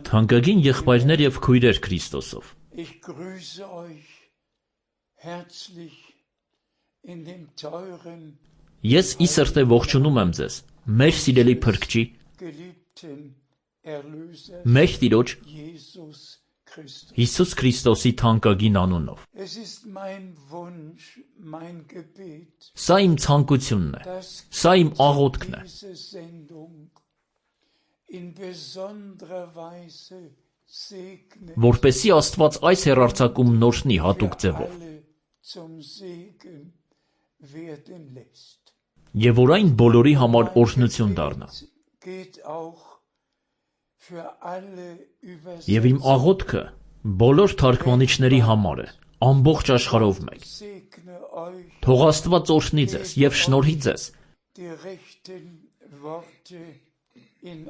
Թանկագին եղբայրներ եւ քույրեր Քրիստոսով։ Ես ի սրտե ողջունում եմ ձեզ, մեր սիրելի Փրկչի, մեր Տիրոջ Հիսուս Քրիստոսի թանկագին անունով։ Սա իմ ցանկությունն է, սա իմ աղոթքն է, որպեսզի Աստված այս հեռարձակումն օրհնի հատուկ ձևով, եւ որ այն բոլորի համար օրհնություն դառնա։ Եվ իմ աղոթքը բոլոր թարգմանիչների համար է, ամբողջ աշխարհով մեկ։ Թող Աստված օրհնի ձեզ եւ շնորհի ձեզ,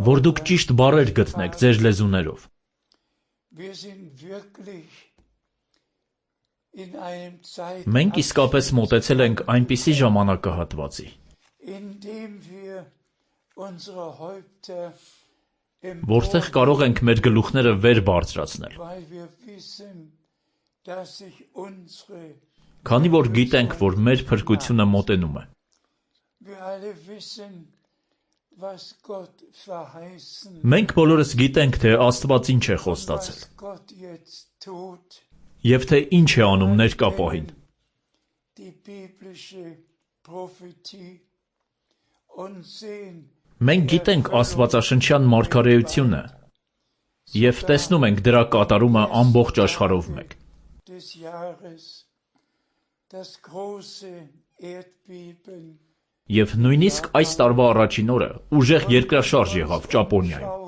որ դուք ճիշտ բառեր գտնեք ձեր լեզուներով։ Մենք իսկապես մոտեցել ենք այնպիսի ժամանակահատվածի, որտեղ կարող ենք մեր գլուխները վեր բարձրացնել, քանի որ գիտենք, որ մեր փրկությունը մոտենում է։ Մենք բոլորս գիտենք, թե Աստված ինչ է խոստացել, եւ թե ինչ է անում ներկա պահին։ Մենք գիտենք աստվածաշնչյան մարգարեությունը եւ տեսնում ենք դրա կատարումը ամբողջ աշխարհով մեկ։ Եվ նույնիսկ այս տարվա առաջին օրը ուժեղ երկրաշարժ եղավ Ճապոնիայում։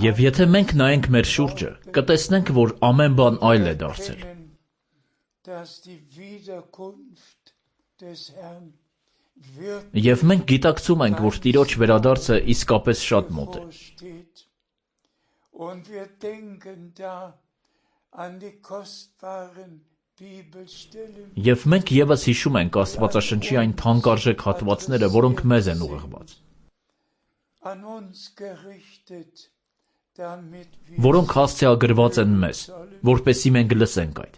Եվ եթե մենք նայենք մեր շուրջը, կտեսնենք, որ ամեն բան այլ է դարձել։ Եվ մենք գիտակցում ենք, որ Տիրոջ վերադարձը իսկապես շատ մոտ է։ Եվ մենք ևս հիշում ենք Աստվածաշնչի այն թանկարժեք հատվածները, որոնք մեզ են ուղղված, որոնք հասցեագրված են մեզ, որպեսզի մենք լսենք այդ։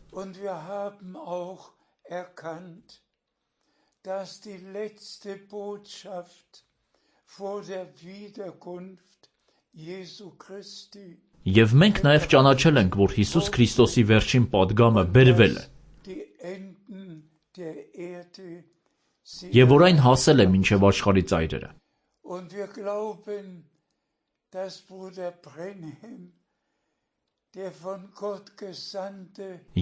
Եվ մենք նաև ճանաչել ենք, որ Հիսուս Քրիստոսի վերջին պատգամը բերվել է, եւ որ այն հասել է մինչև աշխարհի ծայրերը։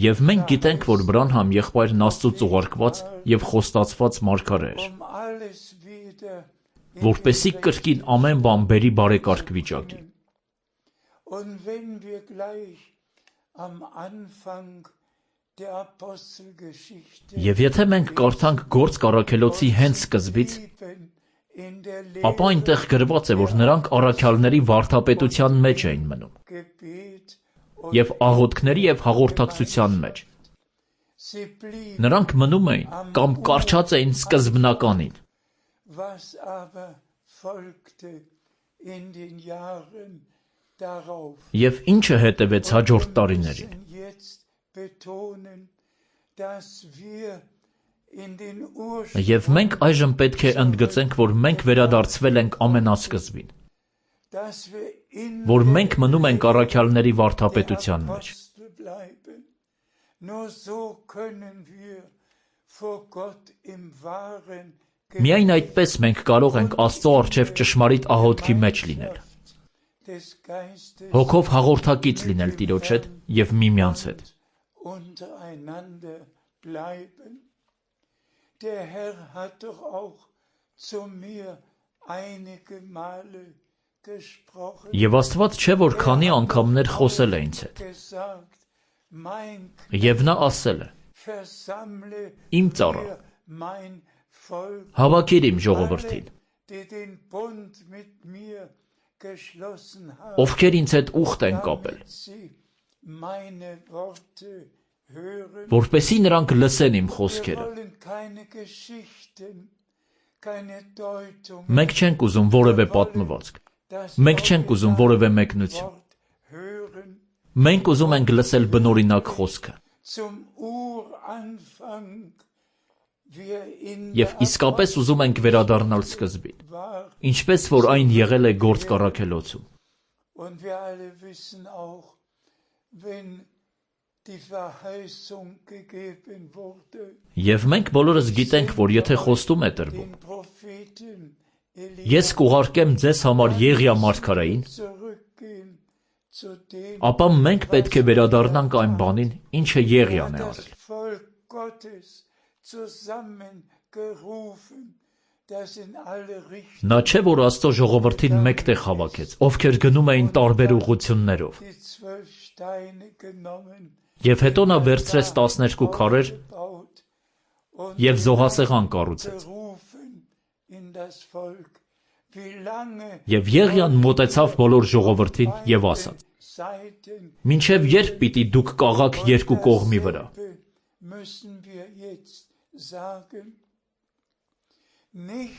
Եվ մենք գիտենք, որ Բրանհամ եղբայրն Աստծուց ուղարկված եւ խոստացված մարգարե էր, որպեսզի կրկին ամեն բան բերի բարեկարգ վիճակի։ Եվ եթե մենք կարդանք Գործք առաքելոցի հենց սկզբից, ապա այնտեղ գրված է, որ նրանք առաքյալների վարդապետության մեջ էին մնում, եւ աղոթքների եւ հաղորդակցության մեջ, Նրանք մնում էին կամ կառչած էին սկզբնականին։ Եվ ինչը հետևեց հաջորդ տարիներին։ Եվ մենք այժմ պետք է ընդգծենք, որ մենք վերադարձվել ենք ամենասկզբին, որ մենք մնում ենք առաքյալների վարդապետության մեջ։ Միայն այդպես մենք կարող ենք Աստծո առջև ճշմարիտ աղոթքի մեջ լինել, հոգով հաղորդակից լինել Տիրոջ հետ և միմյանց հետ։ Եվ Աստված չէ, որ քանի անգամներ խոսել է ինձ հետ։ Եվ նա ասել է. «Իմ ծառա, հավաքիր իմ ժողովրդին, ովքեր ինձ հետ ուխտ են կապել, որպեսզի նրանք լսեն իմ խոսքերը»։ Մենք չենք ուզում որևէ պատմվածք, մենք չենք ուզում որևէ մեկնություն։ Մենք ուզում ենք լսել բնօրինակ խոսքը։ Եվ իսկապես ուզում ենք վերադառնալ սկզբին, ինչպես որ այն եղել է Գործք առաքելոցում։ Եվ մենք բոլորս գիտենք, որ եթե խոստում է տրվում, ես կուղարկեմ ձեզ համար Եղիա մարգարեին, ապա մենք պետք է վերադառնանք այն բանին, ինչը Եղիան է արել։ Նա չէ, որ Աստծո ժողովրդին մեկտեղ հավաքեց, ովքեր գնում էին տարբեր ուղղություններով։ Եվ հետո նա վերցրեց 12 քարեր և զոհասեղան կառուցեց։ Եվ Եղիան մոտեցավ բոլոր ժողովրդին և ասաց. «Մինչև երբ պիտի դուք կաղաք երկու կողմի վրա»։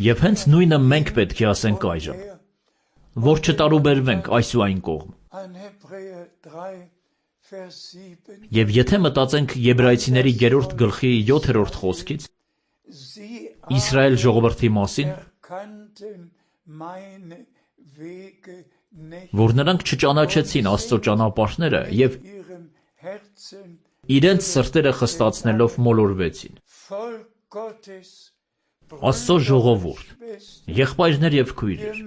Եվ հենց նույնը մենք պետք է ասենք այժմ, որ չտարուբերվենք այս ու այն կողմ։ Եվ եթե մտածենք Եբրայեցիների 3 գլխի 7-րդ խոսքից Իսրայել ժողովրդի մասին, որ նրանք չճանաչեցին Աստծո ճանապարհները և իրենց սրտերը խստացնելով մոլորվեցին։ Աստծո ժողովուրդ, եղբայրներ և քույրեր,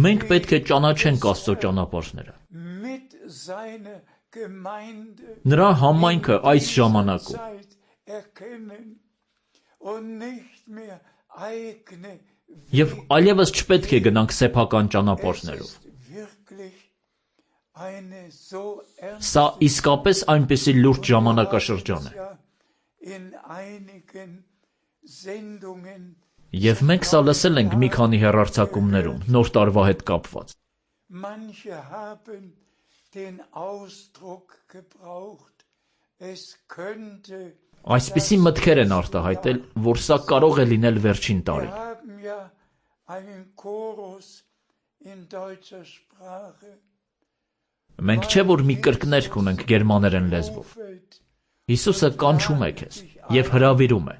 մենք պետք է ճանաչենք Աստծո ճանապարհները։ Նրա համայնքը այս ժամանակում և այլևս չպետք է գնանք սեփական ճանապարհներով։ Սա իսկապես այնպիսի լուրջ ժամանակաշրջան է։ Եվ մենք սա լսել ենք մի քանի հեռարձակումներում Նոր տարվա հետ կապված։ Այսպիսի մտքեր են արտահայտել, որ սա կարող է լինել վերջին տարին։ Մենք չէ, որ մի կրկներգ ունենք գերմաներեն լեզվով։ Հիսուսը կանչում է քեզ և հրավիրում է։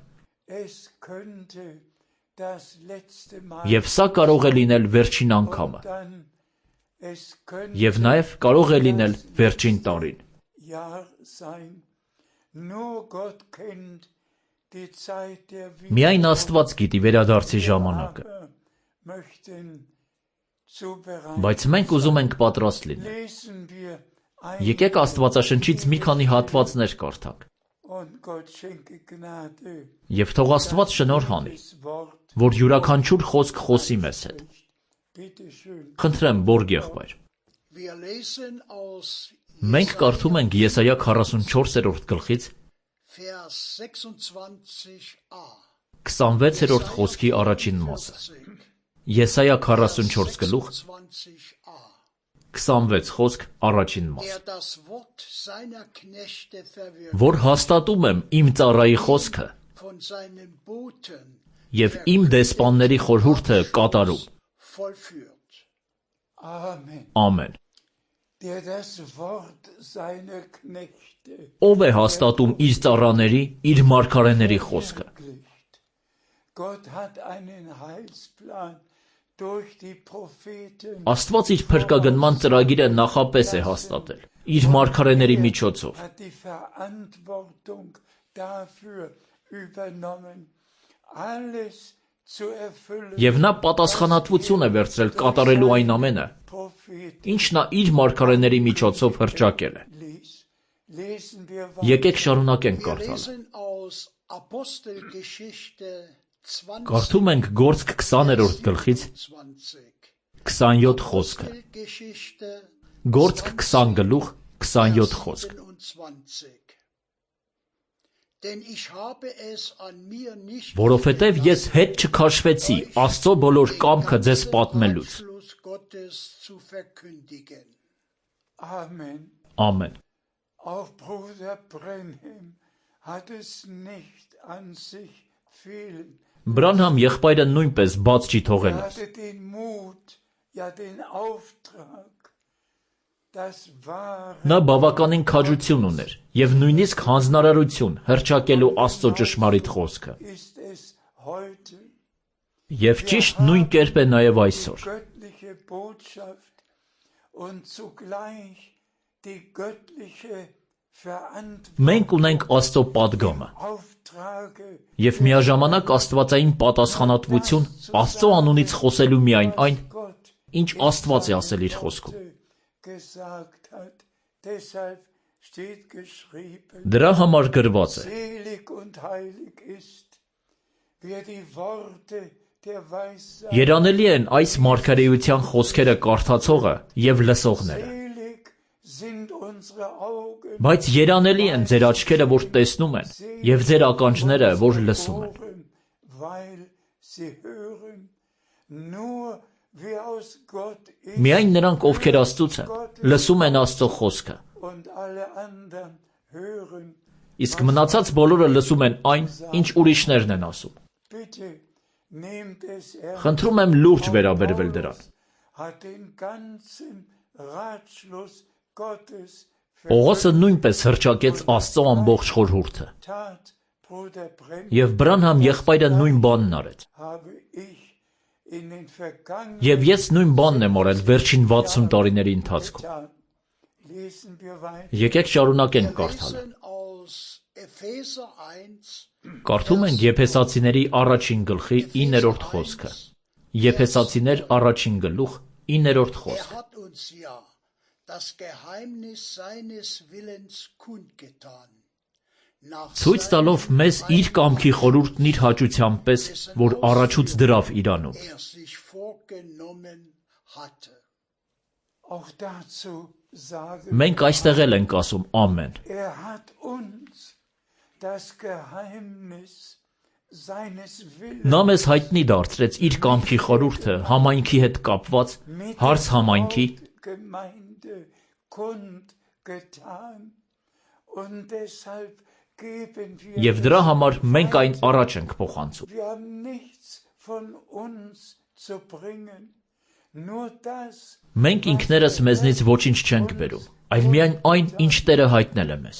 Եվ սա կարող է լինել վերջին անգամը։ Եվ նաև կարող է լինել վերջին տարին։ Միայն Աստված գիտի վերադարձի ժամանակը։ Բայց մենք ուզում ենք պատրաստ լինել։ Եկեք Աստվածաշնչից մի քանի հատվածներ կարդանք։ Եվ թող Աստված շնորհ անի, որ յուրաքանչյուր խոսք խոսի մեզ հետ։ Խնդրեմ, Բորգ եղբայր։ Մենք կարդում ենք Եսայա 44-րդ գլխից 26-րդ խոսքի առաջին մասը։ Եսայա 44 գլուխ 26 խոսք առաջին մաս։ Որ հաստատում եմ իմ ծառայի խոսքը և իմ դեսպանների խորհուրդը կատարում։ Ամեն։ Ով է հաստատում իր ծառաների, իր մարգարեների խոսքը։ Աստված իր փրկագնման ծրագիրը նախապես է հաստատել իր մարգարեների միջոցով։ Եվ նա պատասխանատվություն է վերցրել կատարելու այն ամենը, ինչ նա իր մարգարեների միջոցով հռչակել է։ Եկեք շարունակենք կարդալը։ Կարդում ենք Գործք 20-րդ գլխից 27 խոսքը։ Գործք 20 գլուխ 27 խոսք։ Որովհետև ես հետ չքաշվեցի Աստծո բոլոր կամքը ձեզ պատմելուց։ Ամեն։ Բրանհամ եղբայրը նույնպես բաց չի թողել այս։ Նա բավականին քաջություն ուներ և նույնիսկ հանձնարարություն հռչակելու Աստծո ճշմարիտ խոսքը։ Եվ ճիշտ նույն կերպ է նաև այսօր։ Մենք ունենք Աստծո պատգամը և միաժամանակ աստվածային պատասխանատվություն Աստծո անունից խոսելու միայն այն, ինչ Աստված է ասել իր խոսքում։ Դրա համար գրված է. Երանելի են այս մարգարեության խոսքերը կարդացողը և լսողները։ Բայց երանելի են ձեր աչքերը, որ տեսնում են, և ձեր ականջները, որ լսում են։ Միայն նրանք, ովքեր Աստծուց են, լսում են Աստծո խոսքը։ Իսկ մնացած բոլորը լսում են այն, ինչ ուրիշներն են ասում։ Խնդրում եմ լուրջ վերաբերվել դրան։ Պողոսը նույնպես հռչակեց Աստծո ամբողջ խորհուրդը։ Եվ Բրանհամ եղբայրը նույն բանն արեց։ Եվ ես նույն բանն եմ արել վերջին 60 տարիների ընթացքում։ Եկեք շարունակենք կարդալը։ Կարդում ենք Եփեսացիների առաջին գլխի 9-րդ խոսքը։ Եփեսացիներ առաջին գլուխ 9-րդ խոսք։ Ցույց տալով մեզ իր կամքի խորհուրդն իր հաճության պես, որ առաջուց դրավ իրանում։ Մենք այստեղ էլ ենք ասում ամեն։ Նա մեզ հայտնի դարձրեց իր կամքի խորհուրդը համայնքի հետ կապված, հարց համայնքի, և դրա համար մենք այն առաջ ենք փոխանցում։ Մենք ինքներս մեզնից ոչինչ չենք բերում, այլ միայն այն, ինչ Տերը հայտնել է մեզ։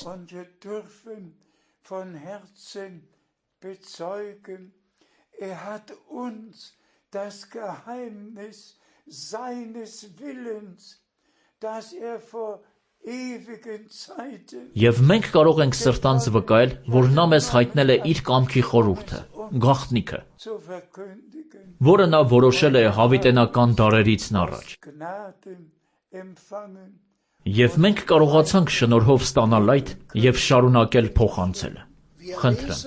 Եվ մենք կարող ենք սրտանց վկայել, որ նա մեզ հայտնել է իր կամքի խորհուրդը, գաղտնիքը, որը նա որոշել է հավիտենական դարերից առաջ։ Եվ մենք կարողացանք շնորհով ստանալ այդ և շարունակել փոխանցելը։ Խնդրեմ։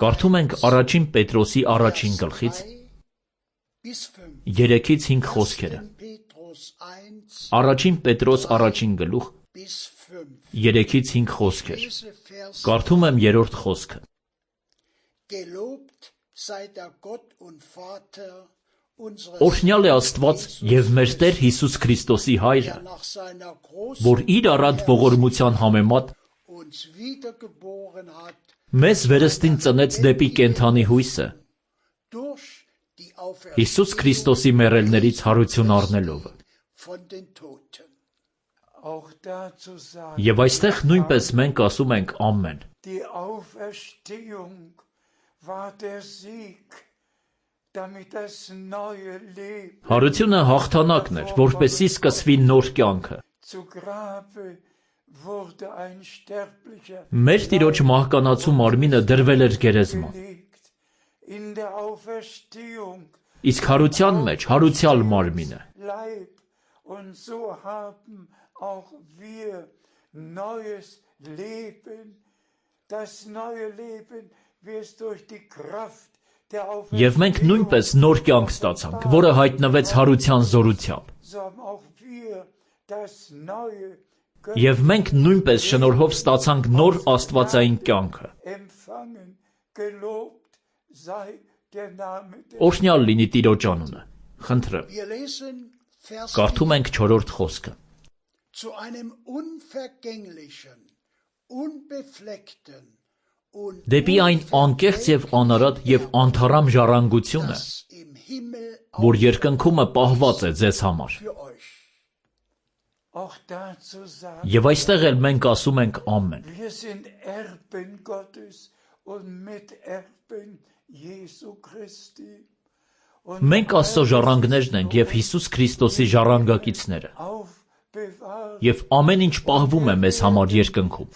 Կարդում ենք առաջին Պետրոսի առաջին գլխից 3-ից 5 խոսքերը։ Առաջին Պետրոս առաջին գլուխ 3-ից 5 խոսքեր։ Կարդում եմ 3-րդ խոսքը։ Օրհնյալ է Աստված և մեր Տեր Հիսուս Քրիստոսի Հայրը, որ իր առատ ողորմության համեմատ մեզ վերստին ծնեց դեպի կենդանի հույսը, Հիսուս Քրիստոսի մեռելներից հարություն առնելով։ Եվ այստեղ նույնպես մենք ասում ենք ամեն։ Հարությունը հաղթանակն էր, որպեսզի սկսվի նոր կյանքը։ Մեր Տիրոջ մահկանացու մարմինը դրվել էր գերեզման։ Իսկ հարության մեջ հարուցյալ մարմինը։ Եվ մենք նույնպես նոր կյանք ստացանք, որը հայտնվեց հարության զորությամբ։ Եվ մենք նույնպես շնորհով ստացանք նոր աստվածային կյանքը։ Օրհնյալ լինի Տիրոջ անունը։ Խնդրեմ։ Կարդում ենք 4-րդ խոսքը։ Դեպի այն անկեղծ և անարատ և անթառամ ժառանգությունը, որ երկնքումը պահված է ձեզ համար։ Եվ այստեղ էլ մենք ասում ենք ամեն։ Մենք Աստծո ժառանգներն ենք և Հիսուս Քրիստոսի ժառանգակիցները։ Եվ ամեն ինչ պահվում է մեզ համար երկնքում։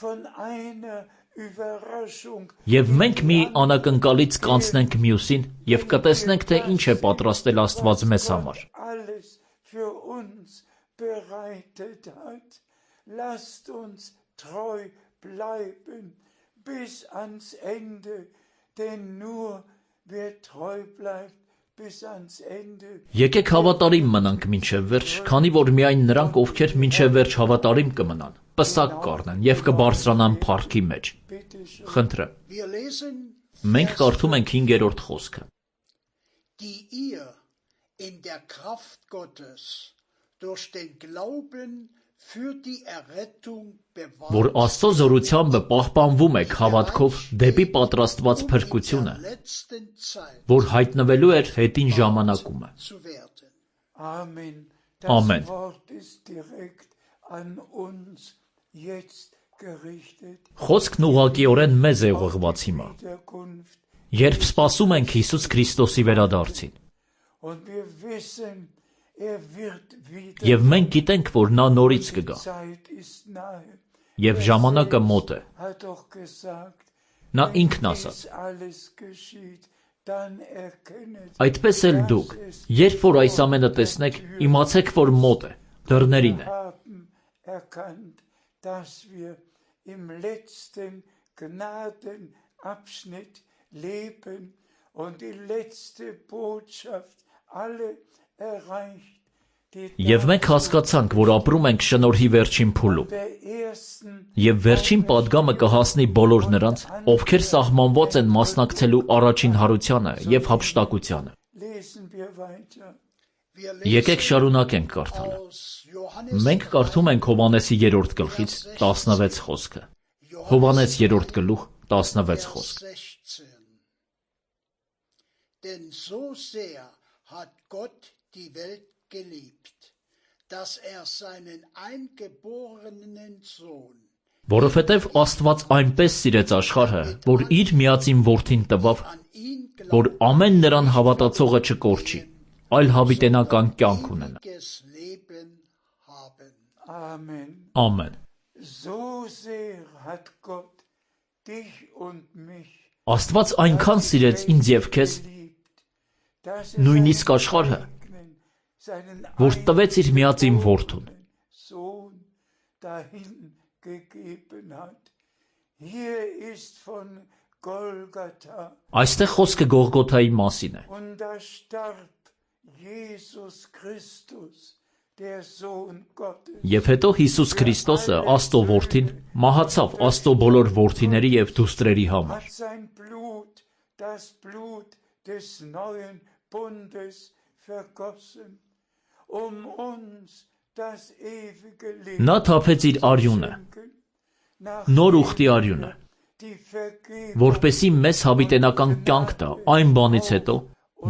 Եվ մենք մի անակնկալից կանցնենք մյուսին և կտեսնենք, թե ինչ է պատրաստել Աստված մեզ համար։ Եկեք հավատարիմ մնանք մինչև վերջ, քանի որ միայն նրանք, ովքեր մինչև վերջ հավատարիմ կմնան, պսակ կառնեն և կբարձրանան փառքի մեջ։ Խնդրեմ։ Մենք կարդում ենք 5-րդ խոսքը։ Որ Աստծո զորությամբ պահպանվում եք հավատքով դեպի պատրաստված փրկությունը, որ հայտնվելու էր հետին ժամանակումը։ Ամեն։ Խոսքն ուղղակիորեն մեզ է ուղղված հիմա, երբ սպասում ենք Հիսուս Քրիստոսի վերադարձին։ Եվ մենք գիտենք, որ նա նորից կգա։ Եվ ժամանակը մոտ է։ Նա ինքն ասաց. Այդպես էլ դուք, երբ որ այս ամենը տեսնեք, իմացեք, որ մոտ է, դռներին է։ Եվ մենք հասկացանք, որ ապրում ենք շնորհի վերջին փուլում։ Եվ վերջին պատգամը կհասնի բոլոր նրանց, ովքեր սահմանված են մասնակցելու առաջին հարությանը և հափշտակությանը։ Եկեք շարունակենք կարդալը։ Մենք կարդում ենք Հովհաննեսի 3-րդ գլխից 16 խոսքը։ Հովհաննես 3-րդ գլուխ 16 խոսք։ Որովհետև Աստված այնպես սիրեց աշխարհը, որ իր միածին որդին տվավ, որ ամեն նրան հավատացողը չկորչի, այլ հավիտենական կյանք ունենա։ Ամեն։ Աստված այնքան սիրեց ինձ և քեզ, նույնիսկ աշխարհը, որ տվեց իր միածին որդուն։ Այստեղ խոսքը Գողգոթայի մասին է։ Եվ հետո Հիսուս Քրիստոսը, Աստծո որդին, մահացավ Աստծո բոլոր որդիների և դուստրերի համար։ Նա թափեց իր արյունը, նոր ուխտի արյունը, որպեսզի մեզ հավիտենական կյանք տա այն բանից հետո,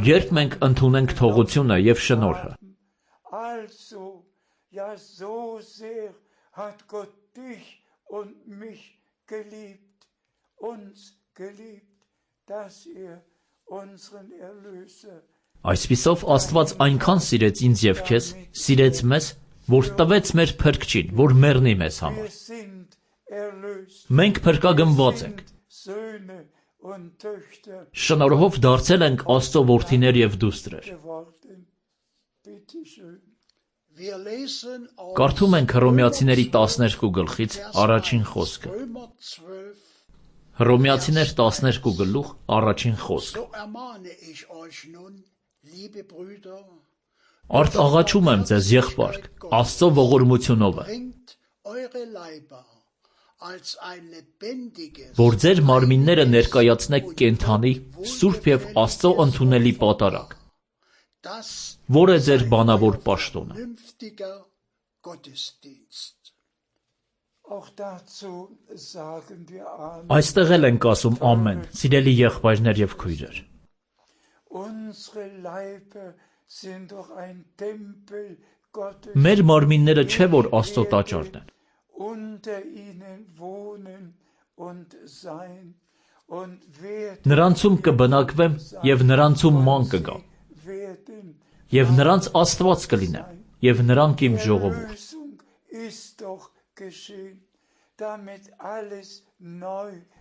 երբ մենք ընդունենք թողությունը և շնորհը։ Այսպիսով Աստված այնքան սիրեց ինձ և քեզ, սիրեց մեզ, որ տվեց մեր փրկչին, որ մեռնի մեզ համար։ Մենք փրկագնված ենք։ Շնորհով դարձել ենք Աստծո որդիներ և դուստրեր։ Կարդում ենք Հռոմեացիների 12 գլխից առաջին խոսքը։ Հռոմեացիներ 12 գլուխ առաջին խոսք։ Արդ աղաչում եմ ձեզ, եղբայրք, Աստծո ողորմությունով, որ ձեր մարմինները ներկայացնեք կենդանի, սուրբ և Աստծո ընդունելի պատարագ, որ է ձեր բանավոր պաշտոնը։ Այստեղ էլ ենք ասում ամեն, սիրելի եղբայրներ և քույրեր։ Մեր մարմինները չէ, որ Աստծո տաճարն են։ Նրանցում կբնակվեմ և նրանցում ման կգամ, և նրանց Աստված կլինեմ, և նրանք իմ ժողովուրդ։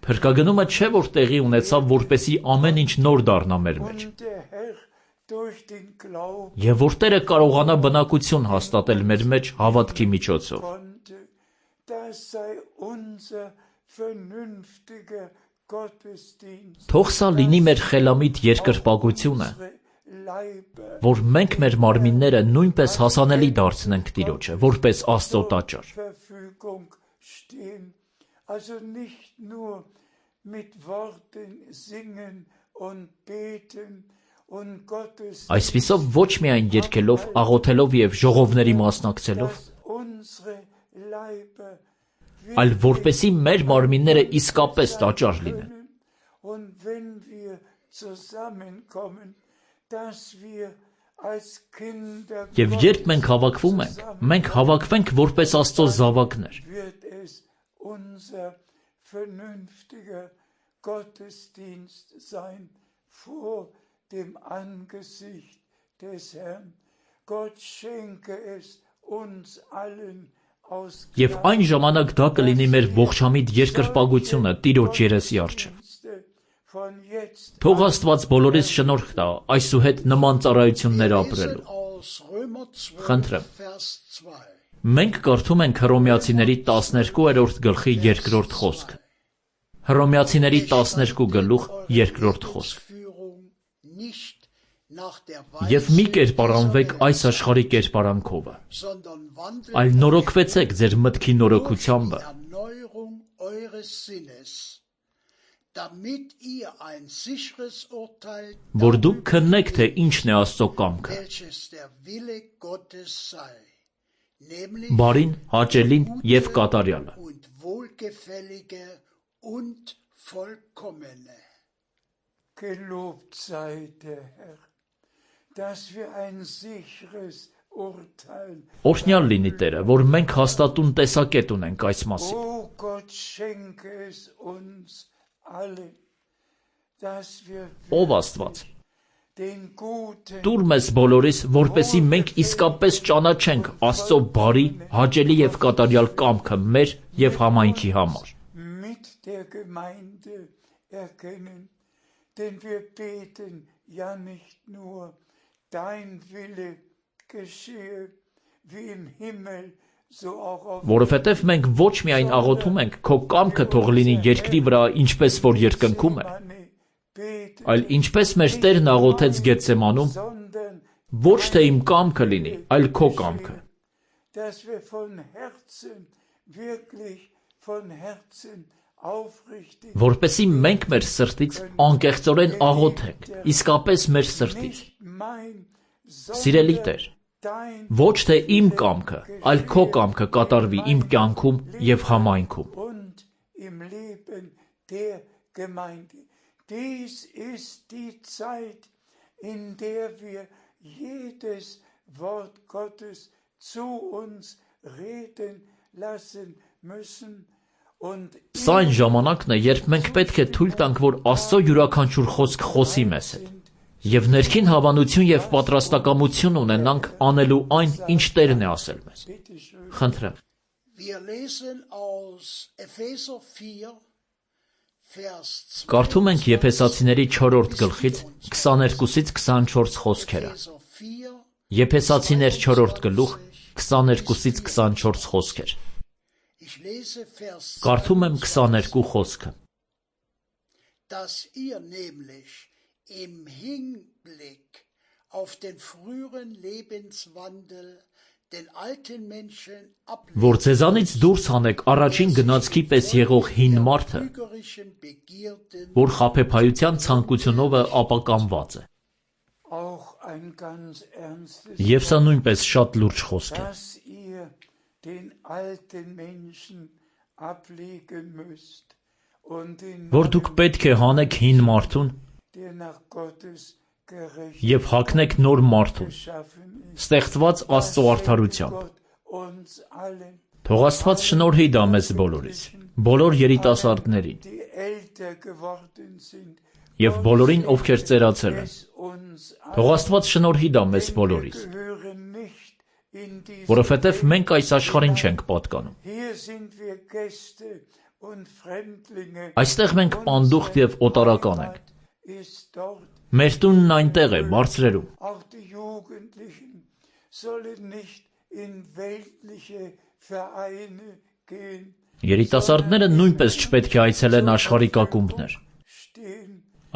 Փրկագնումը չէ, որ տեղի ունեցավ, որպեսզի ամեն ինչ նոր դառնա մեր մեջ, և որ Տերը կարողանա բնակություն հաստատել մեր մեջ հավատքի միջոցով։ Թող սա լինի մեր խելամիտ երկրպագությունը, որ մենք մեր մարմինները նույնպես հասանելի դարձնենք Տիրոջը, որպես Աստծո տաճար։ Այսպիսով ոչ միայն երգելով, աղոթելով և ժողովների մասնակցելով, այլ որպեսզի մեր մարմինները իսկապես տաճար լինեն։ Եվ երբ մենք հավաքվում ենք, մենք հավաքվենք որպես Աստծո զավակներ։ Եվ այն ժամանակ դա կլինի մեր ողջամիտ երկրպագությունը Տիրոջ երեսի առջև։ Թող Աստված բոլորիս շնորհ տա այսուհետ նման ծառայություններ ապրելու։ Խնդրեմ։ Մենք կարդում ենք Հռոմեացիների 12-րդ գլխի 2-րդ խոսքը։ Հռոմեացիների 12 գլուխ 2-րդ խոսք։ Եվ մի կերպարանվեք այս աշխարհի կերպարանքովը, այլ նորոգվեցեք ձեր մտքի նորոգությամբ, որ դուք քննեք, թե ինչն է Աստծո կամքը, բարին, հաճելին և կատարյալը։ Օրհնյալ լինի Տերը, որ մենք հաստատուն տեսակետ ունենք այս մասին։ Ով Աստված, տուր մեզ բոլորիս, որպեսզի մենք իսկապես ճանաչենք Աստծո բարի, հաճելի և կատարյալ կամքը մեր և համայնքի համար։ Որովհետև մենք ոչ միայն աղոթում ենք, քո կամքը թող լինի երկրի վրա, ինչպես որ երկնքում է, այլ ինչպես մեր Տերն աղոթեց Գեթսեմանում, ոչ թե իմ կամքը լինի, այլ քո կամքը։ Որպեսզի մենք մեր սրտից անկեղծորեն աղոթենք, իսկապես մեր սրտից, Սիրելի Տեր, ոչ թե իմ կամքը, այլ քո կամքը կատարվի իմ կյանքում և համայնքում։ Dies ist die Zeit, in der wir jedes Wort Gottes zu uns reden lassen müssen. Սա այն ժամանակն է, երբ մենք պետք է թույլ տանք, որ Աստծո յուրաքանչյուր խոսք խոսի մեզ հետ, և ներքին հավանություն և պատրաստակամություն ունենանք անելու այն, ինչ Տերն է ասել մեզ։ Խնդրեմ։ Կարդում ենք Եփեսացիների 4-րդ գլխից 22-ից 24 խոսքերը։ Եփեսացիներ 4-րդ գլուխ 22-ից 24 խոսքեր։ Կարդում եմ 22 խոսքը։ Dass ihr nämlich im Hinblick auf den früheren Lebenswandel den alten Menschen Որ ձեզանից դուրս հանեք առաջին գնացքի պես եղող հին մարդը, որ խաբեբայության ցանկությունով ապականված է։ Եվ սա նույնպես շատ լուրջ խոսք է։ Որ դուք պետք է հանեք հին մարդուն և հագնեք նոր մարդուն, ստեղծված Աստծո արդարությամբ։ Թող Աստված շնորհի դա մեզ բոլորիս, բոլոր երիտասարդներին և բոլորին, ովքեր ծերացել են։ Թող Աստված շնորհի դա մեզ բոլորիս, որովհետև մենք այս աշխարհին չենք պատկանում։ Այստեղ մենք պանդուխտ և օտարական ենք։ Մեր տունն այնտեղ է, բարձրերում։ Երիտասարդները նույնպես չպետք է այցելեն աշխարհիկ ակումբներ,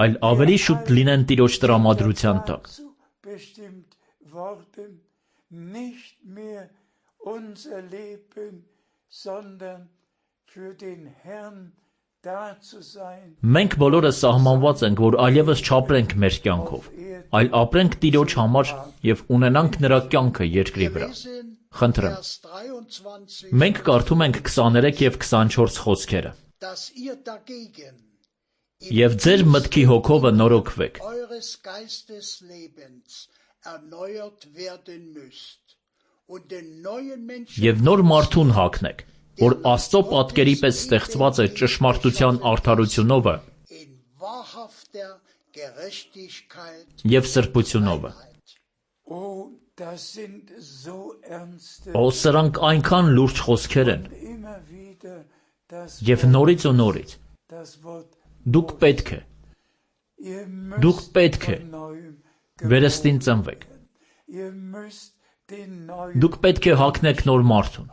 այլ ավելի շուտ լինեն Տիրոջ տրամադրության տակ։ Մենք բոլորը սահմանված ենք, որ այլևս չապրենք մեր կյանքով, այլ ապրենք Տիրոջ համար և ունենանք նրա կյանքը երկրի վրա։ Խնդրեմ։ Մենք կարդում ենք 23 և 24 խոսքերը։ Եվ ձեր մտքի հոգովը նորոգվեք։ Եվ նոր մարդուն հագնեք, որ Աստծո պատկերի պես ստեղծված է ճշմարտության արդարությունովը և սրբությունովը։ Սրանք այնքան լուրջ խոսքեր են, և նորից ու նորից դուք պետք է վերստին ծնվեք։ Դուք պետք է հագնեք նոր մարդուն։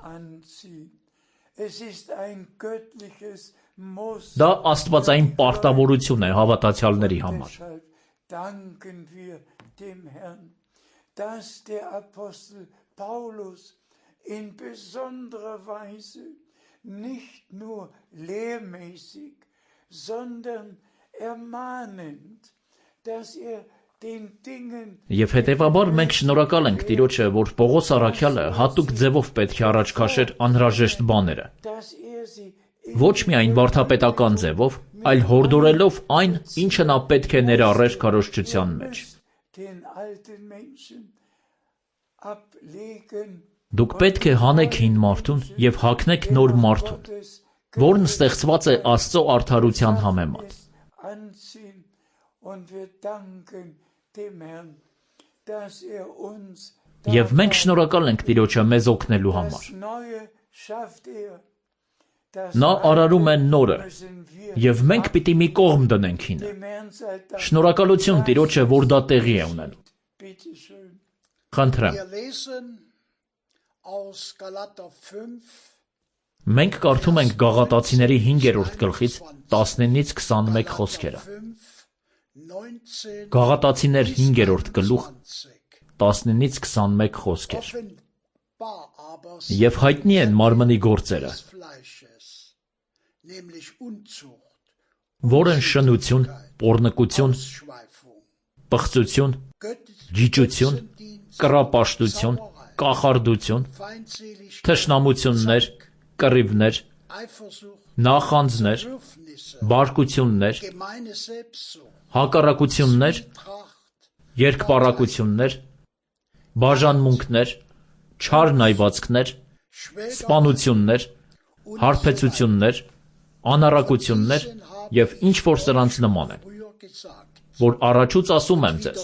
Դա աստվածային պարտավորություն է հավատացյալների համար։ Dass der Apostel Paulus in besonderer Weise nicht nur lehrmäßig, sondern ermahnend, dass den Dingen Եվ հետևաբար մենք շնորհակալ ենք Տիրոջը, որ Պողոս առաքյալը հատուկ ձևով պետք է առաջ քաշեր անհրաժեշտ բաները։ Ոչ միայն վարդապետական ձևով, այլ հորդորելով այն, ինչը նա պետք է ներառեր քարոզչության մեջ։ Դուք պետք է հանեք հին մարդուն և հագնեք նոր մարդուն, որն ստեղծված է Աստծո արդարության համեմատ։ Եվ մենք շնորհակալ ենք Տիրոջը մեզ օգնելու համար։ Նա արարում է նորը, և մենք պիտի մի կողմ դնենք հինը։ Շնորհակալություն Տիրոջը, որ դա տեղի է ունենում։ Խնդրեմ։ Մենք կարդում ենք Գաղատացիների 5-րդ գլխից 19-ից 21 խոսքերը։ Գաղատացիներ 5-րդ գլուխ 19-ից 21 խոսքեր։ Եվ հայտնի են մարմնի գործերը, որ են շնություն, պոռնկություն, պղծություն, ջիջություն, կռապաշտություն, կախարդություն, թշնամություններ, կռիվներ, նախանձներ, բարկություններ, հակառակություններ, երկպառակություններ, բաժանմունքներ, չար նայվածքներ, սպանություններ, հարբեցություններ, անառակություններ և ինչ որ սրանց նման են, որ առաջուց ասում եմ ձեզ,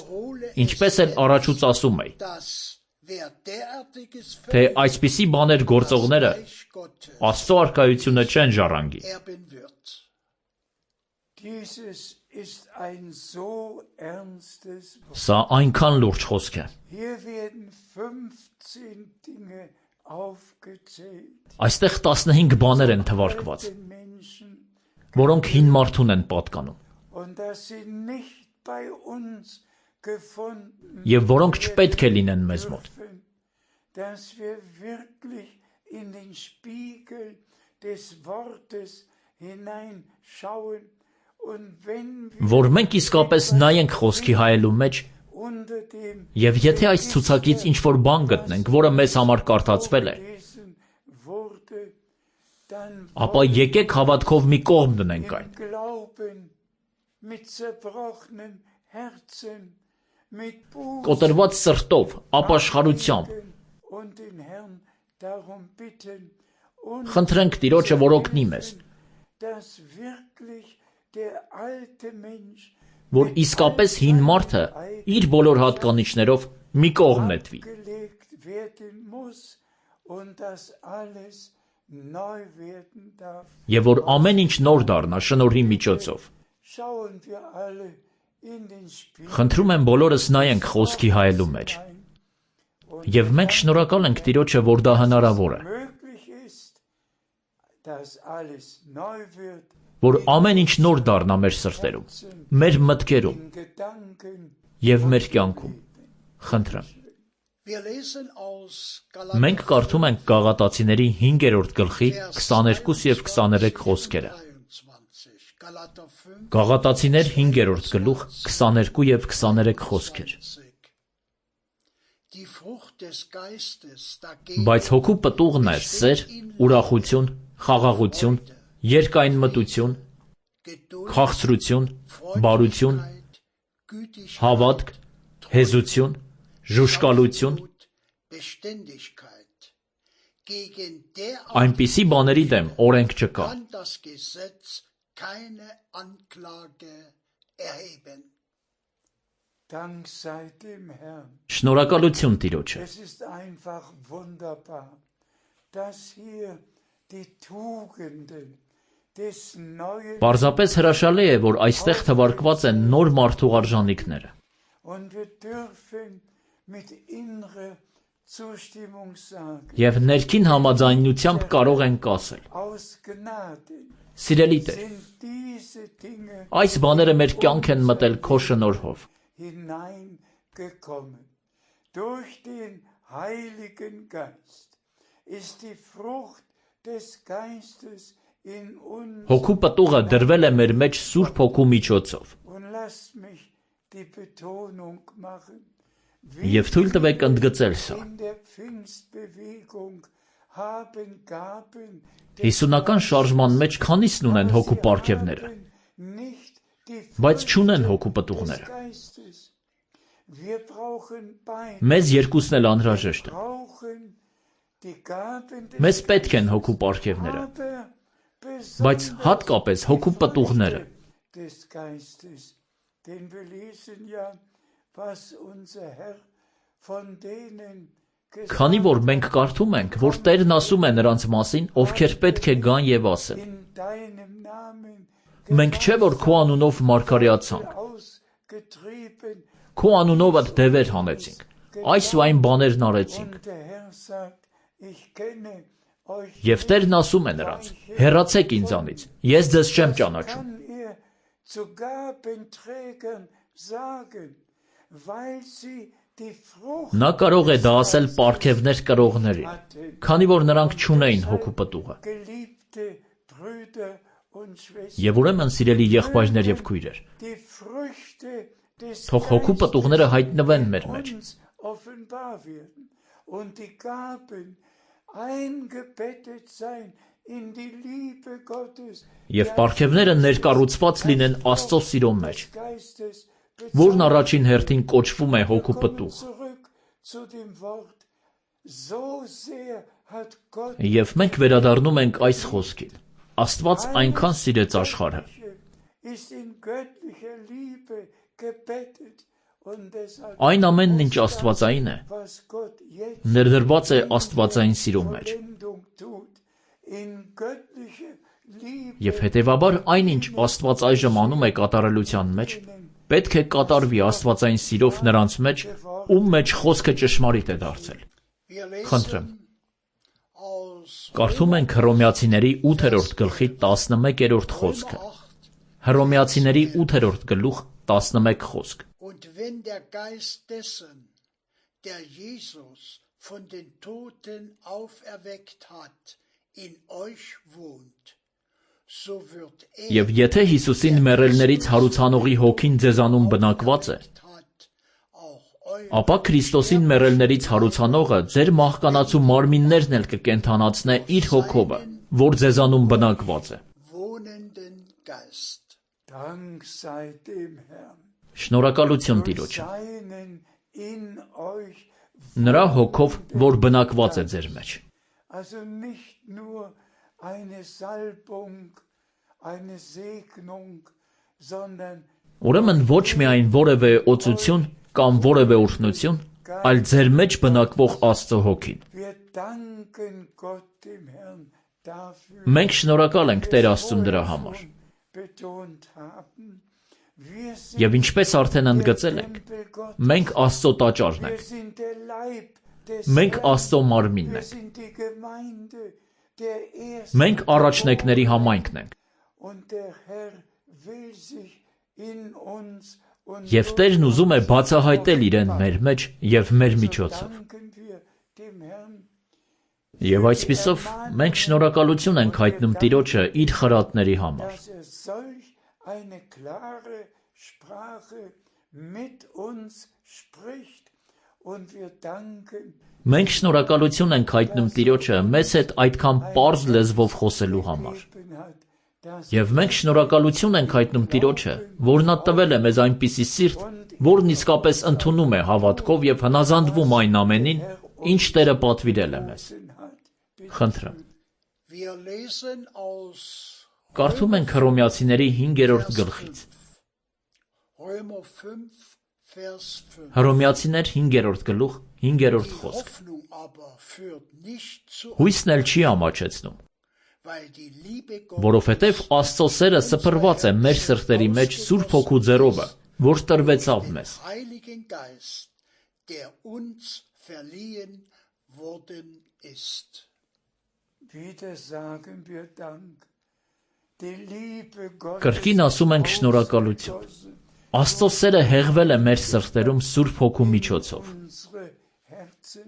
ինչպես էլ առաջուց ասում էի, թե այսպիսի բաներ գործողները Աստծո արքայությունը չեն ժառանգի։ Սա այնքան լուրջ խոսք է։ Այստեղ 15 բաներ են թվարկված, որոնք հին մարդուն են պատկանում, և որոնք չպետք է լինեն մեզ մոտ։ Որ մենք իսկապես նայենք խոսքի հայելու մեջ, և եթե այս ցուցակից ինչ-որ բան գտնենք, որը մեզ համար կարդացվել է, ապա եկեք հավատքով մի կողմ դնենք այն։ Կոտրված սրտով, ապաշխարությամբ, խնդրենք Տիրոջը, որ օգնի մեզ, որ իսկապես հին մարդը իր բոլոր հատկանիշներով մի կողմ նետվի, և որ ամեն ինչ նոր դառնա շնորհի միջոցով։ Խնդրում եմ բոլորս նայենք խոսքի հայելու մեջ, և մենք շնորհակալ ենք Տիրոջը, որ դա հնարավոր է, որ ամեն ինչ նոր դառնա մեր սրտերում, մեր մտքերում և մեր կյանքում։ Խնդրեմ։ Մենք կարդում ենք Գաղատացիների 5-րդ գլխի 22 և 23 խոսքերը։ Գաղատացիներ 5-րդ գլուխ 22 և 23 խոսքեր։ Բայց հոգու պտուղն է սեր, ուրախություն, խաղաղություն, երկայնմտություն, քաղցրություն, բարություն, հավատք, հեզություն, ժուժկալություն, այնպիսի բաների դեմ օրենք չկա։ Շնորհակալություն Տիրոջը։ Պարզապես հրաշալի է, որ այստեղ թվարկված են նոր մարդու արժանիքները։ Եվ ներքին համաձայնությամբ կարող ենք ասել. Սիրելի Տեր, այս բաները մեր կյանք են մտել քո շնորհով։ Հոգու պտուղը դրվել է մեր մեջ Սուրբ Հոգու միջոցով։ Եվ թույլ տվեք ընդգծել սա։ Հիսունական շարժման մեջ քանիսն ունեն հոգու պարգևները, բայց չունեն հոգու պտուղները։ Մեզ երկուսն էլ անհրաժեշտ են։ Մեզ պետք են հոգու պարգևները, բայց հատկապես հոգու պտուղները։ Քանի որ մենք կարդում ենք, որ Տերն ասում է նրանց մասին, ովքեր պետք է գան և ասեն. Մենք չէ, որ քո անունով մարգարեացանք, քո անունով դևեր հանեցինք, այս ու այն բաներն արեցինք։ Եվ Տերն ասում է նրանց. հեռացեք ինձանից, ես ձեզ չեմ ճանաչում։ Նա կարող է դա ասել պարգևներ կրողներին, քանի որ նրանք չունեին հոգու պտուղը։ Եվ ուրեմն, սիրելի եղբայրներ և քույրեր, թող հոգու պտուղները հայտնվեն մեր մեջ, offenbar werden und die Gaben eingebettet sein in die Liebe Gottes, Եվ պարգևները ներկառուցված լինեն Աստծո սիրո մեջ, որն առաջին հերթին կոչվում է հոգու պտուղ։ Եվ մենք վերադառնում ենք այս խոսքին. Աստված այնքան սիրեց աշխարհը, այն ամենն, ինչ աստվածային է, ներդրված է աստվածային սիրո մեջ։ Եվ հետևաբար այնինչ Աստված այժմ անում է կատարելության մեջ, պետք է կատարվի աստվածային սիրով նրանց մեջ, ում մեջ խոսքը ճշմարիտ է դարձել։ Խնդրեմ։ Կարդում ենք Հռոմեացիների 8-րդ գլխի 11-րդ խոսքը։ Հռոմեացիների 8-րդ գլուխ 11 խոսք։ Und wenn der Geist dessen, der Jesus von den Toten auferweckt hat, in euch wohnt, so wird Եվ եթե Հիսուսին մեռելներից հարուցանողի հոգին ձեզանում բնակված է, ապա Քրիստոսին մեռելներից հարուցանողը ձեր մահկանացու մարմիններն էլ կկենդանացնե իր հոգովը, որ ձեզանում բնակված է։ wohnenden Geist. Dank sei dem Herrn. Շնորհակալություն Տիրոջը։ Seinen in euch, Նրա հոգով, որ բնակված է ձեր մեջ։ also nicht nur eine Salbung, eine Segnung, sondern Ուրեմն ոչ միայն որևէ օծություն կամ որևէ օրհնություն, այլ ձեր մեջ բնակվող Աստծո հոգին։ wir danken Gott dem Herrn dafür. Մենք շնորհակալ ենք Տեր Աստծուն դրա համար։ Betont haben, wir sind Եվ ինչպես արդեն ընդգծել ենք, Tempel Gottes, մենք Աստծո տաճարն wir ենք, sind der Leib des մենք Herrn, Աստծո մարմինն wir ենք, sind die Gemeinde, der ersten մենք առաջնեկների համայնքն ենք, und der Herr will sich in uns und եւ Տերն ուզում է բացահայտել իրեն մեր մեջ եւ մեր միջոցով։ danken wir dem Herrn. Եվ այսպիսով մենք շնորհակալություն ենք հայտնում Տիրոջը իր խրատների համար։ Dass solch eine klare Sprache mit uns spricht und wir danken, Մենք շնորհակալություն ենք հայտնում Տիրոջը մեզ հետ այդքան պարզ լեզվով խոսելու համար։ gegeben hat, dass Եվ մենք շնորհակալություն ենք հայտնում Տիրոջը, որ նա տվել է մեզ այնպիսի սիրտ, որն իսկապես ընդունում է հավատքով եւ հնազանդվում այն ամենին, ինչ Տերը պատվիրել է մեզ։ hat. Խնդրեմ։ Wir lesen aus Կարդում ենք Հռոմեացիների 5-րդ գլխից։ Römer 5, Vers 5. Հռոմեացիներ 5-րդ գլուխ 5-րդ Die խոսք։ Hoffnung aber führt nicht zu, Հույսն էլ չի ամաչեցնում, weil die Liebe Gottes որովհետև Աստծո սերը սփռված է մեր սրտերի մեջ Սուրբ Հոգու ձեռովը, որ տրվեցավ մեզ։ Heiligen Geist, der uns verliehen worden ist. Wieder sagen wir Dank. Die Liebe Gottes Կրկին ասում ենք շնորհակալություն։ Աստծո սերը հեղվել է մեր սրտերում Սուրբ Հոգու միջոցով։ unsere Herzen,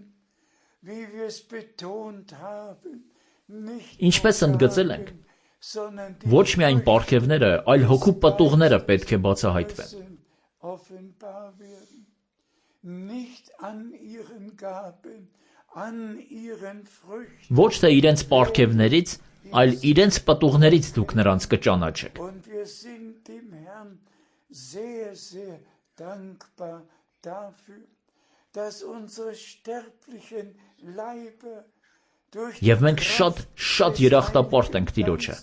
wie wir es betont haben, nicht Ինչպես ընդգծել ենք, sondern ոչ միայն պարգևները, այլ հոգու պտուղները պետք է բացահայտվեն։ Herzen offenbar werden. Nicht an ihren Gaben, an ihren Früchten. Ոչ թե իրենց պարգևներից, այլ իրենց պտուղներից դուք նրանց կճանաչեք։ Und wir sind dem Herrn sehr, sehr dankbar dafür, dass unsere sterblichen Leiber durch Եվ մենք շատ երախտապարտ ենք Տիրոջը,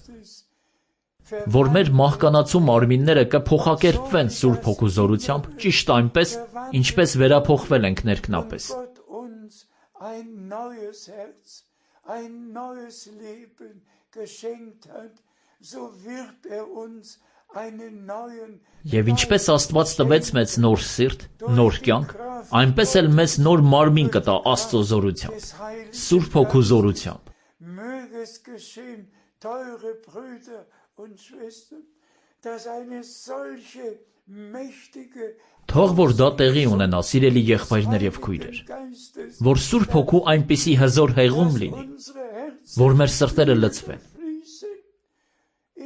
որ մեր մահկանացու մարմինները կփոխակերպվեն Սուրբ Հոգու զորությամբ, ճիշտ այնպես, ինչպես վերափոխվել ենք ներքնապես։ Gott uns ein neues Herz, ein neues Leben geschenkt hat, so wird uns einen neuen Եվ ինչպես Աստված տվեց մեզ նոր սիրտ, նոր կյանք, այնպես էլ մեզ նոր մարմին կտա Աստծո զորությամբ, Սուրբ Հոգու զորությամբ։ Möge es geschehen, teure Brüder und Schwestern, dass eine solche mächtige Թող որ դա տեղի ունենա, սիրելի եղբայրներ եւ քույրեր, Geistes որ Սուրբ Հոգու այնպիսի հզոր հեղում լինի, unsere Herzen որ մեր սրտերը լցվեն։ fließen.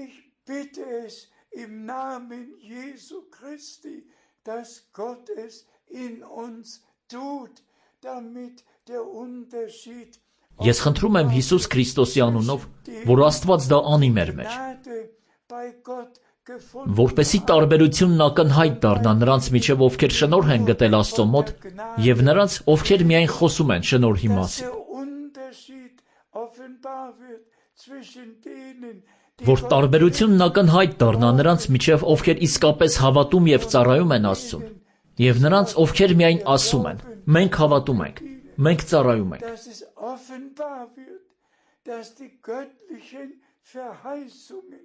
Ich bitte es im Namen Jesu Christi, dass Gott es in uns tut, damit der Unterschied Ես խնդրում եմ Հիսուս Քրիստոսի անունով, որ Աստված դա անի մեր մեջ, Gnade bei Gott gefunden որպեսզի տարբերությունն ակնհայտ դառնա նրանց միջև, ովքեր շնորհ են գտել Աստծո մոտ, եւ նրանց, ովքեր miայն խոսում են շնորհի dass մասին, der Unterschied offenbar wird zwischen denen, die որ տարբերությունն ակնհայտ դառնա նրանց միջև, ովքեր իսկապես հավատում եւ ծառայում են Աստծուն, եւ նրանց, ովքեր միայն ասում են. մենք հավատում ենք, մենք ծառայում ենք, dass es offenbar wird, dass die göttlichen Verheißungen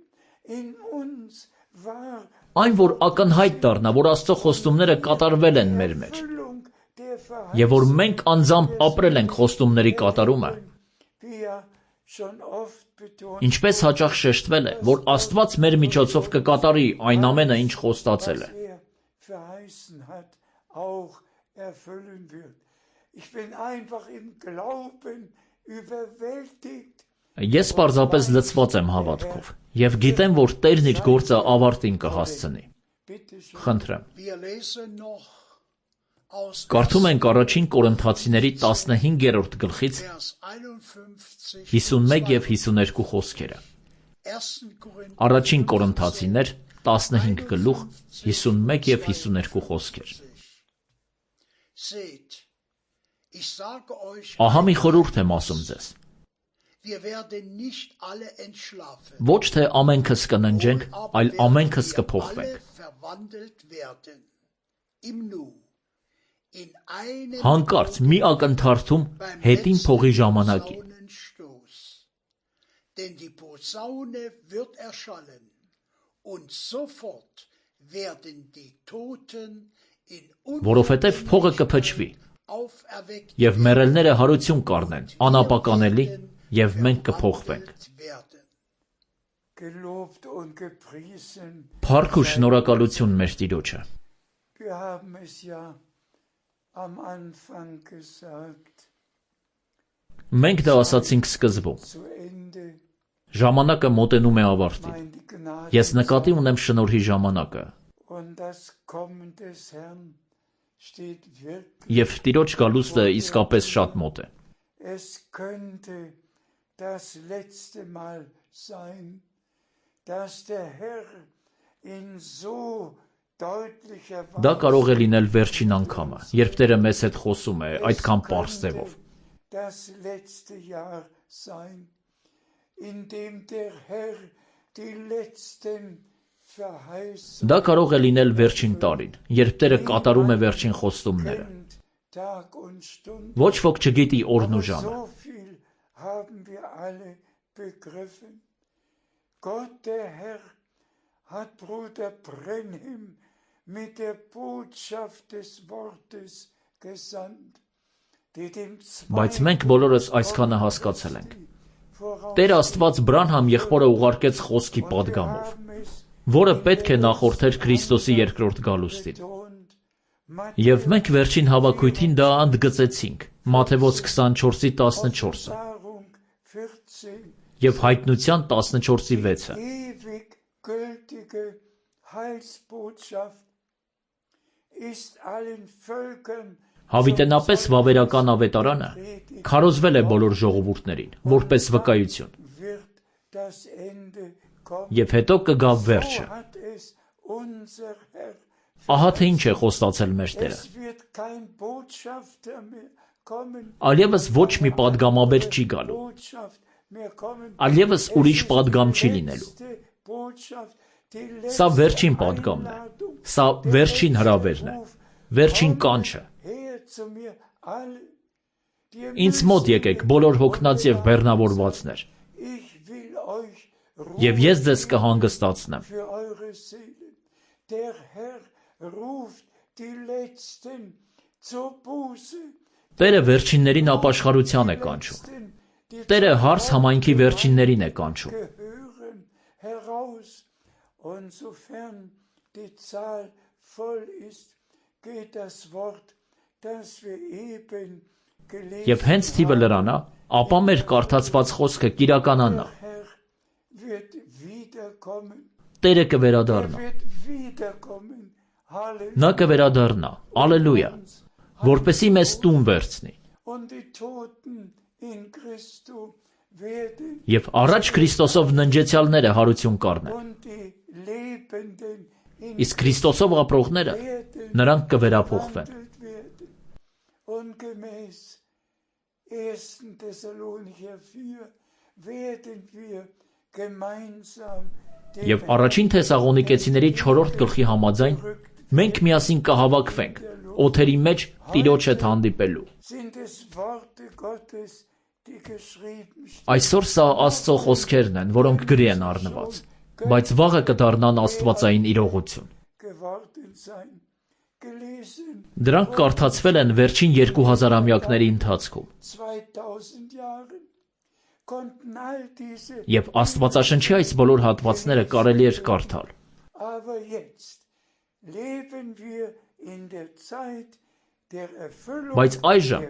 in uns wahr այն որ ակնհայտ դառնա, որ Աստծո խոստումները կատարվել են մեր մեջ, Erfüllung der եւ որ մենք անձամբ ապրել ենք խոստումների կատարումը, wie ja schon oft betont ինչպես հաճախ շեշտվել է, որ Աստված մեր միջոցով կկատարի այն ամենը, ինչ խոստացել է։ verheißen hat, auch erfüllen wird. Ich bin einfach im Glauben überwältigt. Ես պարզապես լցված եմ հավատքով եւ գիտեմ, որ Տերն իր գործը ավարտին կհասցնի։ Bitte schön. Խնդրեմ։ Wir lesen noch aus Կարդում ենք առաջին Կորինթացիների 15-րդ գլխից Vers 51, 51 եւ 52 խոսքերը։ 1. Korinther Առաջին Կորինթացիներ 15 գլուխ 51 եւ 52 խոսքեր։ Seht, ich sage euch, Ահա մի խորհուրդ եմ ասում ձեզ։ wir werden nicht alle entschlafen, Ոչ թե ամենքս կննջենք, այլ ամենքս կփոխվենք։ alle verwandelt werden, im Nu, in einen Հանկարծ մի ակնթարթում հետին փողի ժամանակին։ Posaunenstoß. Denn die Posaune wird erschallen, und sofort werden die Toten in Որովհետև փողը կփչվի, auferweckt եւ մեռելները հարություն կառնեն, անապականելի, եւ մենք կփոխվենք։ werden. Gelobt und gepriesen. Փառք ու շնորհակալություն մեր Տիրոջը։ Wir haben es ja am Anfang gesagt, Մենք դա ասացինք սկզբում։ zu Ende. Ժամանակը մոտենում է ավարտին։ Meine Gnade Ես նկատի ունեմ շնորհի ժամանակը, und das Kommen des Herrn steht wirklich. եւ Տիրոջ գալուստը իսկապես շատ մոտ է։ Es könnte das letzte Mal sein, dass der Herr in so deutlicher Դա կարող է լինել վերջին անգամը, երբ Տերը մեզ հետ խոսում է այդքան պարզ ձևով։ das letzte Jahr sein, in dem der Herr die letzten Verheißungen Դա կարող է լինել վերջին տարին, երբ Տերը կատարում է վերջին խոստումները։ kennt, Tag und Stunde. Ոչ ոք չգիտի օրն ու ժամը։ So viel haben wir alle begriffen. Gott, der Herr, hat Bruder Brenhim mit der Botschaft des Wortes gesandt, die dem Բայց մենք բոլորս այսքանը հասկացել ենք։ Տեր Աստված Բրանհամ եղբորը ուղարկեց խոսքի պատգամով, որը պետք է նախորդեր Քրիստոսի երկրորդ գալուստին։ Եվ մենք վերջին հավաքույթին դա ընդգծեցինք, Մատթեոս 24-ի 14-ը եւ Հայտնության 14-ի 6-ը։ ewig gültige Heilsbotschaft ist allen Völkern Հավիտենապես վավերական ավետարանը քարոզվել է բոլոր ժողովուրդներին, որպես վկայություն, wird das Ende kommen. եւ հետո կգա վերջը։ So hat es unser Herr. Ահա թե ինչ է խոստացել մեր Տերը։ Es wird kein Botschafter mehr kommen. Այլևս ոչ մի падգամաբեր չի գալու, Botschaft mehr kommen. այլևս ուրիշ падգամ չի լինելու։ Letzte Botschaft, die Սա letzte վերջին падգամն է։ Einladung. Սա վերջին հրավերն է, վերջին կանչը։ Her zu mir alle, die Ինձ մոտ եկեք բոլոր հոգնած եւ բեռնավորվածներ, ich will euch եւ ես ձեզ կհանգստացնեմ։ für eure Seelen. Der Herr ruft die Letzten zur Buße. Տերը վերջիններին ապաշխարության է կանչում։ Letzten, die Տերը հարս համայնքի վերջիններին է կանչում։ gehören heraus. Und sofern die Zahl voll ist, geht das Wort, das wir eben gelesen Եվ հենց թիվը լրանա, ապա մեր կարդացված խոսքը կիրականանա։ Herr wird wiederkommen. Տերը կվերադառնա։ Wird wiederkommen. Halleluja. Նա կվերադառնա։ Ալելույա։ որպեսզի մեզ տուն վերցնի։ Եվ առաջ Քրիստոսով ննջեցյալները հարություն կառնեն, իսկ Քրիստոսով ապրողները նրանք կվերափոխվեն։ Եվ առաջին Թեսաղոնիկեցիների 4-րդ գլխի համաձայն մենք միասին կհավաքվենք օթերի մեջ Տիրոջ հետ հանդիպելու։ Այսօր սա Աստծո խոսքերն են, որոնք գրի են առնված, բայց վաղը կդառնան աստվածային իրողություն։ Դրանք կարդացվել են վերջին 2000-ամյակների ընթացքում։ Եվ Աստվածաշնչի այս բոլոր հատվածները կարելի էր կարդալ։ Բայց այժմ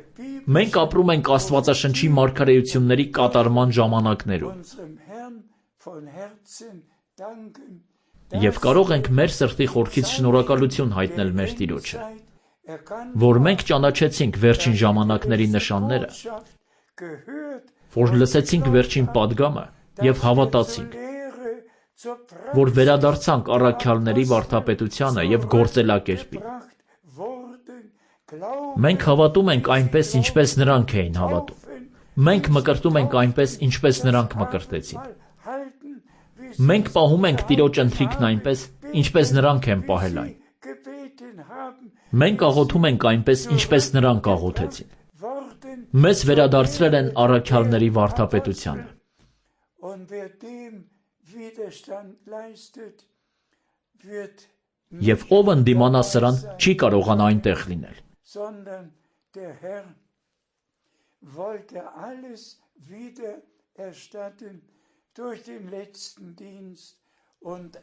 մենք ապրում ենք Աստվածաշնչի մարգարեությունների կատարման ժամանակներում։ Եվ կարող ենք մեր սրտի խորքից շնորհակալություն հայտնել մեր Տիրոջը, որ մենք ճանաչեցինք վերջին ժամանակների նշանները, որ լսեցինք վերջին պատգամը և հավատացինք, որ վերադարձանք առաքյալների վարդապետությանը և գործելակերպին։ Մենք հավատում ենք այնպես, ինչպես նրանք էին հավատում։ Մենք մկրտում ենք այնպես, ինչպես նրանք մկրտեցին։ Մենք պահում ենք Տիրոջ ընթրիքն այնպես, ինչպես նրանք են պահել այն։ Մենք աղոթում ենք այնպես, ինչպես նրանք աղոթեցին։ Մեզ վերադարձրել են առաքյալների վարդապետությանը։ Եվ ով ընդդիմանա սրան, չի կարողանա այնտեղ լինել։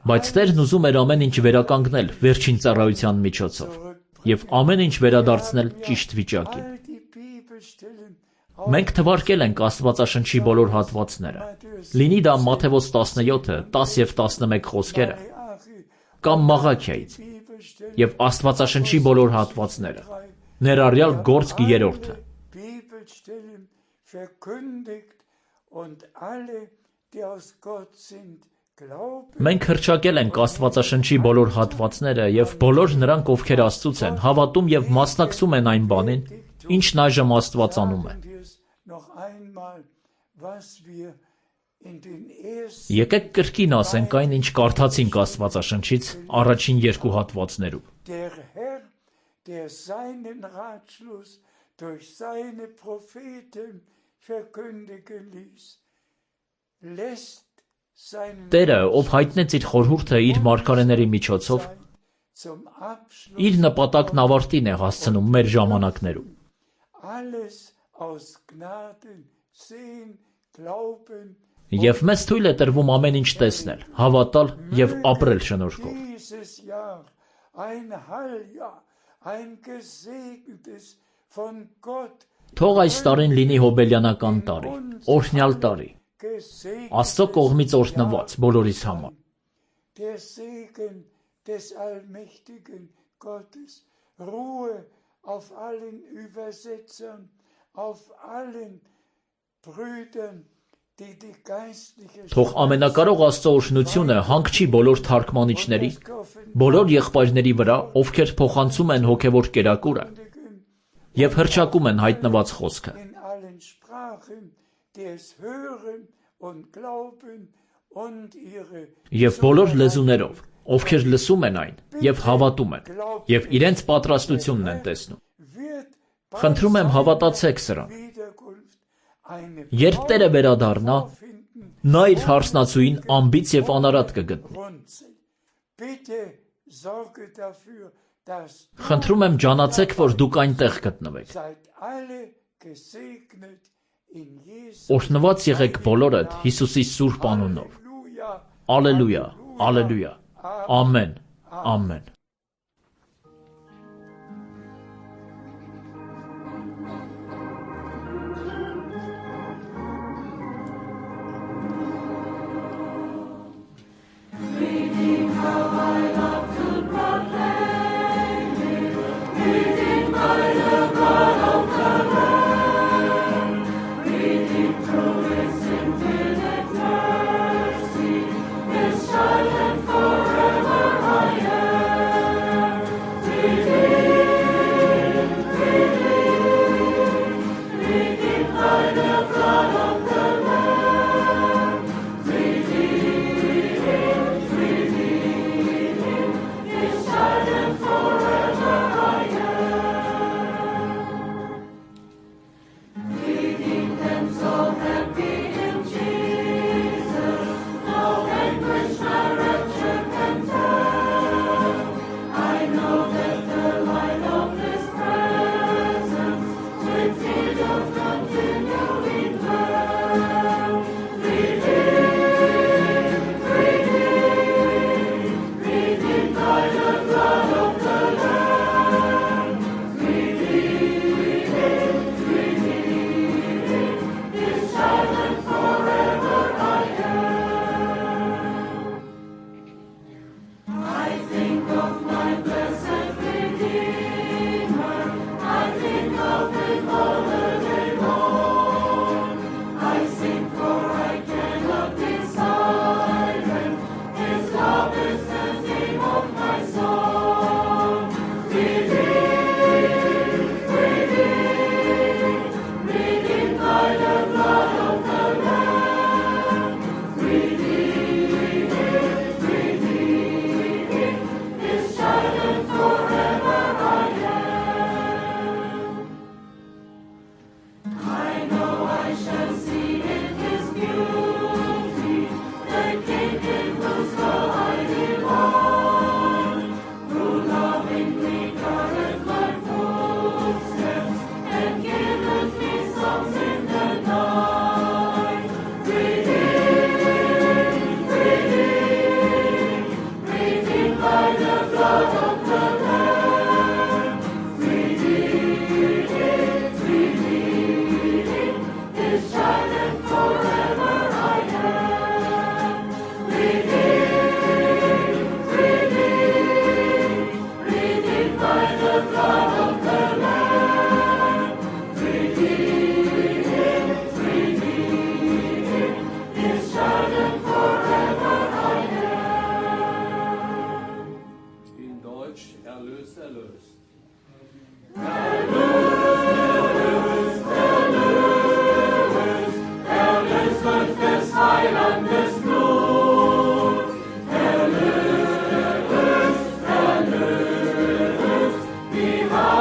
Բայց Տերն ուզում էր ամեն ինչ վերականգնել վերջին ծառայության միջոցով և ամեն ինչ վերադարձնել ճիշտ վիճակին։ Մենք թվարկել ենք Աստվածաշնչի բոլոր հատվածները, լինի դա Մատթեոս 17, 10 և 11 խոսքերը, կամ Մաղաքիայից, և Աստվածաշնչի բոլոր հատվածները, ներառյալ Գործք 3-ը։ Մենք հռչակել ենք Աստվածաշնչի բոլոր հատվածները և բոլոր նրանք, ովքեր Աստծուց են, հավատում և մասնակցում են այն բանին, ինչն այժմ Աստված անում է։ Եկեք կրկին ասենք այն, ինչ կարդացինք Աստվածաշնչից առաջին 2 հատվածներում։ Տերը, ով հայտնեց իր խորհուրդը իր մարգարեների միջոցով, իր նպատակն ավարտին է հասցնում մեր ժամանակներում։ Եվ մեզ թույլ է տրվում ամեն ինչ տեսնել, հավատալ և ապրել շնորհքով։ Թող այս տարին լինի հոբելյանական տարի, օրհնյալ տարի, Աստծո կողմից օրհնված բոլորիս համար։ Թող ամենակարող Աստծո օրհնությունը հանգչի բոլոր թարգմանիչների, բոլոր եղբայրների վրա, ովքեր փոխանցում են հոգևոր կերակուրը և հռչակում են հայտնված խոսքը։ Եվ բոլոր լեզուներով, ովքեր լսում են այն և հավատում են, և իրենց պատրաստությունն են տեսնում։ Խնդրում եմ, հավատացեք սրան։ Երբ Տերը վերադառնա, նա իր հարսնացուին անբիծ և անարատ կգտնի։ Խնդրում եմ, ջանացեք, որ դուք այնտեղ գտնվեք։ Օրհնված եղեք բոլորդ Հիսուսի սուրբ անունով։ Ալելույա, ալելույա, ամեն, ամեն։ By the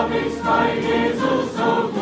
hab ich's bei Jesus so